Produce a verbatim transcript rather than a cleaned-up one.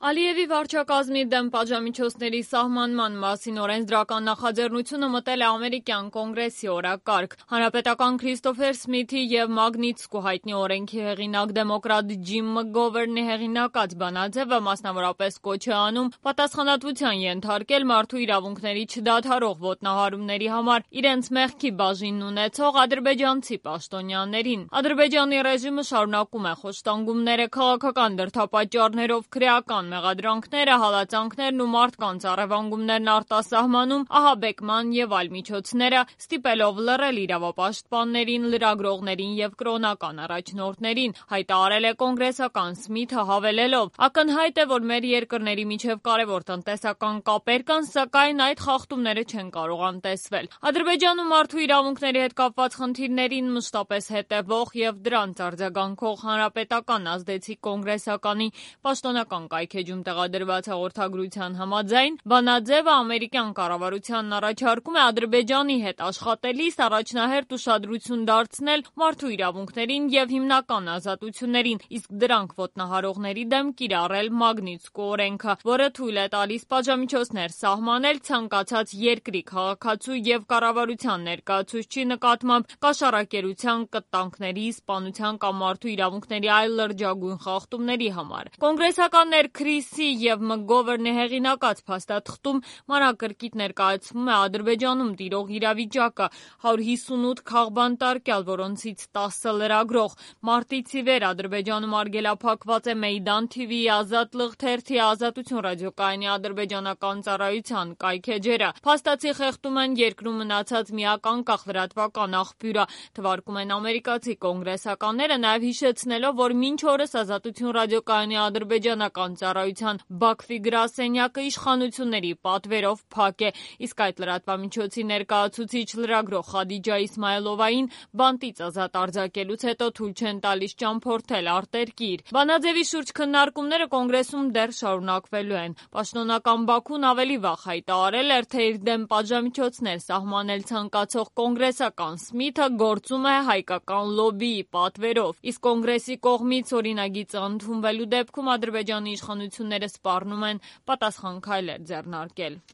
Ալիևի վարչակազմի դեմ պատժամիջոցների սահմանման մասին օրենսդրական նախաձեռնությունը մտել է ամերիկյան կոնգրեսի օրակարգ։ Հանրապետական Քրիստոֆեր Սմիթի և Մագնիտսկու հայտնի օրենքի հեղինակ դեմոկրատ Ջիմ Մկգովերնի հեղինակած բանաձևը մասնավորապես կոչ է անում պատասխանատվության ենթարկել մարդու իրավունքների չդադարող ոտնահարումների համար իրենց մեղքի բաժինն ունեցող ադրբեջանցի պաշտոնյաներին։ Ադրբեջանի ռեժիմը շարունակում է խոշտանգումները քաղաքական դրդապատճառներով, քրեական մեղադրանքները, հալածանքներն ու մարդկանց առևանգումներն արտասահմանում, ահաբեկման և այլ միջոցները, ստիպելով լռել իրավապաշտպաններին, լրագրողներին և կրոնական առաջնորդներին, հայտարարել է կոնգրեսական Սմիթը, հավելելով. «Ակնհայտ է, որ մեր երկրների միջև կարևոր տնտեսական կապեր կան, սակայն այդ խախտումները չեն կարող անտեսվել»։ Ադրբեջանում մարդու իրավունքների հետ կապված խնդիրներին մշտապես հետևող և դրանց արձագանքող հանրապետական ազդեցիկ կոնգրեսականի պաշտոնական կայքէջում տեղադրված հաղորդագրության համաձայն, բանաձևը ամերիկյան կառավարությանն առաջարկում է Ադրբեջանի հետ աշխատելիս առաջնահերթ ուշադրություն դարձնել մարդու իրավունքներին և հիմնական ազատություններին, իսկ դրանք ոտնահարողների դեմ կիրառել Մագնիտսկու օրենքը, որը թույլ է տալիս պատժամիջոցներ սահմանել ցանկացած երկրի քաղաքացու և կառավարության ներկայացուցչի նկատմամբ կաշառակերության, կտանքների, սպանության կամ մարդու իրավունքների այլ լրջագույն խախտումների համար։ Կոնգրեսականներ Քրիսի և Մկգովերնի հեղինակած փաստաթղթում մանրակրկիտ ներկայացվում է Ադրբեջանում տիրող իրավիճակը՝ հարյուր հիսունութ քաղբանտարկյալ, որոնցից տասը լրագրող։ Մարտից ի վեր Ադրբեջանում արգելափակված է Մեյդան թիվիի, Ազատլղ թերթի, Ազատություն ռադիոկայանի ադրբեջանական ծառայության կայքէջերը։ Փաստացի խեղդում են երկրում մնացած միակ անկախ լրատվական աղբյուրը, թվարկում են ամերիկացի կոնգրեսականները, նաև հիշեցնելով, որ մինչ օրս Ազատություն ռադիոկայանի ադրբեջանական ծառայության Բաքվի գրասենյակը իշխանությունների պատվերով փակ է, իսկ այդ լրատվամիջոցի ներկայացուցիչ լրագրող Խադիջա Իսմայլովային բանտից ազատ արձակելուց հետո թույլ չեն տալիս ճամփորդել արտերկիր։ Բանաձևի շուրջ քննարկումները կոնգրեսում դեռ շարունակվելու են։ Պաշտոնական Բաքուն ավելի վաղ հայտարարել էր, թե իր դեմ պատժամիջոցներ սահմանել ցանկացող կոնգրեսական Սմիթը գործում է հայկական լոբբիի պատվերով, իսկ կոնգրեսի կողմից օրինագիծը ընդունվելու դեպքում Ադրբեջանի իշխանությունները սպառնում են պատասխան քայլեր ձեռնարկել։